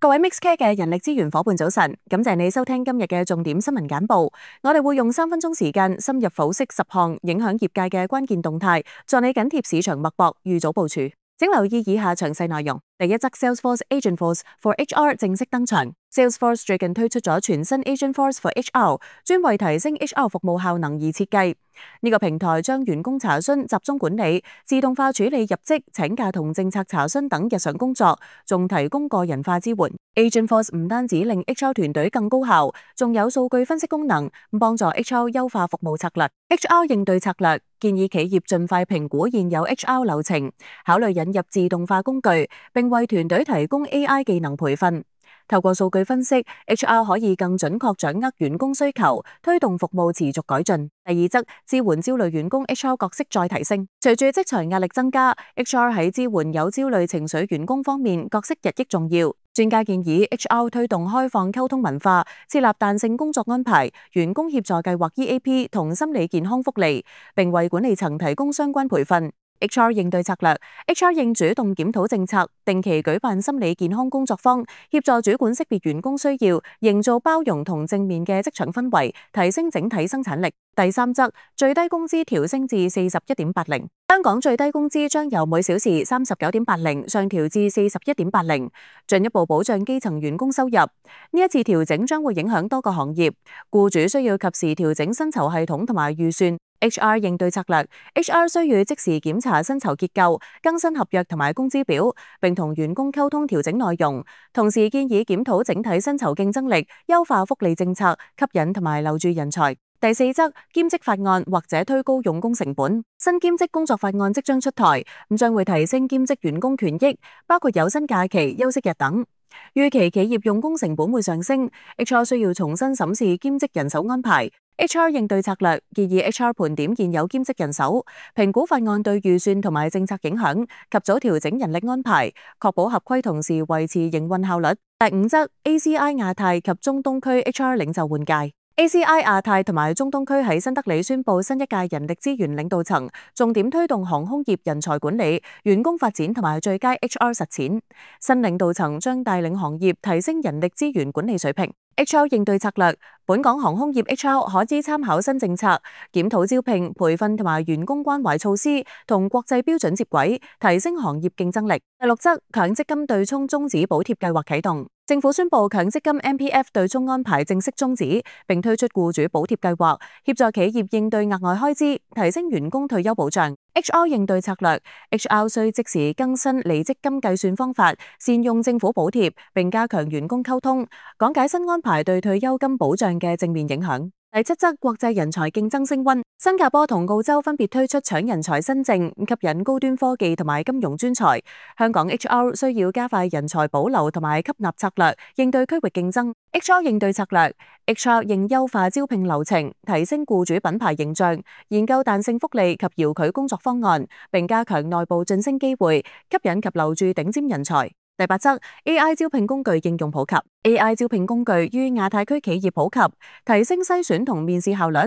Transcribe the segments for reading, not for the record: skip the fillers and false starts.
各位 MixCare 嘅人力資源夥伴早晨，感謝你收聽今日嘅重點新聞簡報。我哋會用3分鐘時間深入剖析10項影響業界嘅關鍵動態，助你緊貼市場脈搏，預早部署。請留意以下詳細內容。第一則 Salesforce Agentforce for HR 正式登場。Salesforce 最近推出咗全新 Agentforce for HR， 專為提升 HR 服務效能而設計。呢個平台將員工查詢集中管理，自動化處理入職、請假同政策查詢等日常工作，仲提供個人化支援。Agentforce 唔單止令 HR 團隊更高效，仲有數據分析功能，幫助 HR 優化服務策略。HR 應對策略建議企業盡快評估現有 HR 流程，考慮引入自動化工具，並為團隊提供 AI 技能培訓。透過數據分析 ，HR 可以更準確掌握員工需求，推動服務持續改進。第二則，支援焦慮員工 HR 角色再提升。隨住職場壓力增加 ，HR 喺支援有焦慮情緒員工方面角色日益重要。專家建議 HR 推動開放溝通文化，設立彈性工作安排、員工協助計劃 EAP 同心理健康福利，並為管理層提供相關培訓。HR 應對策略 HR 應主動檢討政策，定期舉辦心理健康工作坊，協助主管識別員工需要，營造包容同正面嘅職場氛圍，提升整體生產力。第三則，最低工資調升至41.80。香港最低工資將由每小時39.80上調至41.80，進一步保障基層員工收入。呢一次調整將會影響多個行業，僱主需要及時調整薪酬系統同埋預算。HR 應對策略 HR 需要即時檢查薪酬結構，更新合約同埋工資表，並同員工溝通調整內容。同時建議檢討整體薪酬競爭力，優化福利政策，吸引同埋留住人才。第四則，兼職法案或者推高用工成本。新兼職工作法案即將出台，將會提升兼職員工權益，包括有薪假期、休息日等。預期企業用工成本會上升 ，HR 需要重新審視兼職人手安排。HR 應對策略建議 HR 盤點現有兼職人手，評估法案對預算同埋政策影響，及早調整人力安排，確保合規同時維持營運效率。第五則 ACI 亞太及中東區 HR 領袖換屆。ACI 亞太同埋中東區喺新德里宣布新一屆人力資源領導層，重點推動航空業人才管理、員工發展同埋最佳 HR 實踐。新領導層將帶領行業提升人力資源管理水平。HR 應對策略，本港航空業 HR 可以參考新政策，檢討招聘、培訓同埋員工關懷措施，同國際標準接軌，提升行業競爭力。第六則，強積金對沖終止補貼計劃啟動。政府宣布強積金 MPF 對沖安排正式終止，並推出僱主補貼計劃，協助企業應對額外開支，提升員工退休保障。HR 應對策略 HR 需即時更新離職金計算方法，善用政府補貼，並加強員工溝通，講解新安排對退休金保障嘅正面影響。第七則，國際人才競爭升溫，新加坡同澳洲分別推出搶人才新政，吸引高端科技同埋金融專才。香港 HR 需要加快人才保留同埋吸納策略，應對區域競爭。HR 應對策略 HR 應優化招聘流程，提升僱主品牌形象，研究彈性福利及遙距工作方案，並加強內部晉升機會，吸引及留住頂尖人才。第八則 AI 招聘工具應用普及 AI 招聘工具於亞太區企業普及，提升篩選同面試效率。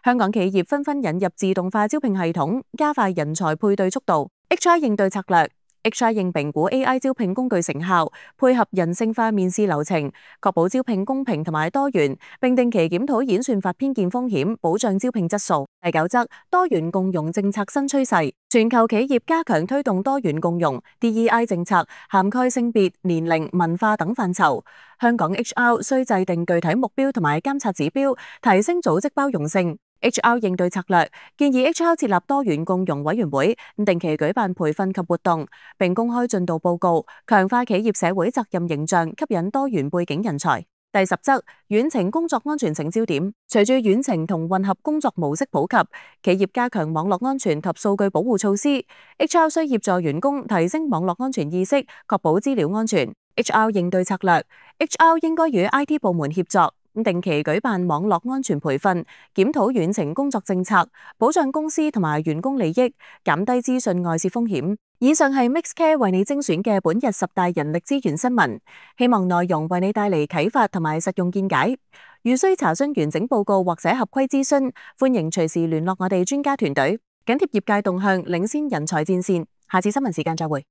香港企業紛紛引入自動化招聘系統，加快人才配對速度。HR 應對策略 HR 應評估 AI 招聘工具成效，配合人性化面試流程，確保招聘公平同埋多元，並定期檢討演算法偏見風險，保障招聘質素。第九則，多元共融政策新趨勢，全球企業加強推動多元共融 DEI 政策，涵蓋性別、年齡、文化等範疇。香港 HR 需制定具體目標同埋監察指標，提升組織包容性。HR 應對策略建議 HR 設立多元共融委員會，定期舉辦培訓及活動，並公開進度報告，強化企業社會責任形象，吸引多元背景人才。第十則，遠程工作安全成焦點。隨住遠程同混合工作模式普及，企業加強網絡安全及數據保護措施。HR 需協助員工提升網絡安全意識，確保資料安全。HR 應對策略 HR 應該與 IT 部門協作，定期舉辦網絡安全培訓，檢討遠程工作政策，保障公司同埋員工利益，減低資訊外泄風險。以上係 MixCare 為你精選嘅本日10大人力資源新聞，希望內容為你帶嚟啟發同埋實用見解。如需查詢完整報告或者合規諮詢，歡迎隨時聯絡我哋專家團隊，緊貼業界動向，領先人才戰線。下次新聞時間再會。